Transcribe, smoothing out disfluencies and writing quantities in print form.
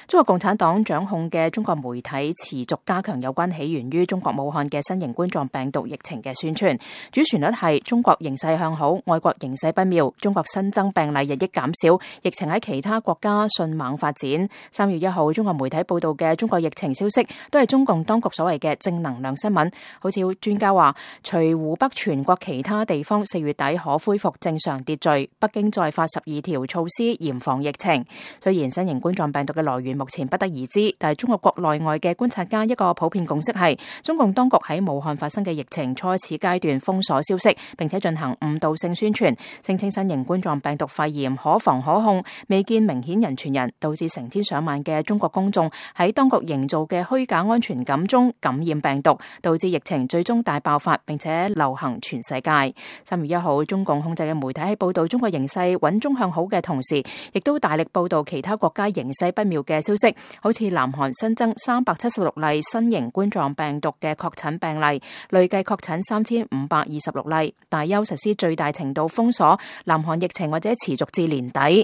中國共產黨掌控嘅中國媒體持續加強有關起源於中國武漢嘅新型冠狀病毒疫情嘅宣傳，主旋律係中國形勢向好，外國形勢不妙，中國新增病例日益減少，疫情喺其他國家迅猛發展。3月1號，中國媒體報道嘅中國疫情消息都係中共當局所謂嘅正能量新聞，好似專家話，除湖北全國其他地方4月底可恢復正常秩序，北京再發12條措施嚴防疫情。雖然新型冠狀病毒嘅來源目前不得而知，但係中國國內外嘅觀察家一個普遍共識係，中共當局喺武漢發生嘅疫情初始階段封鎖消息，並且進行誤導性宣傳，聲稱新型冠狀病毒肺炎可防可控，未見明顯人傳人，導致成千上萬嘅中國公眾喺當局營造嘅虛假安全感中感染病毒，導致疫情最終大爆發，並且流行全世界。3月1號，中共控制嘅媒體喺報道中國形勢穩中向好嘅同時，亦都大力報道其他國家形勢不妙嘅消息，好似南韓新增376例新型冠狀病毒嘅確診病例，累計確診3526例，大邱實施最大程度封鎖，南韓疫情或者持續至年底。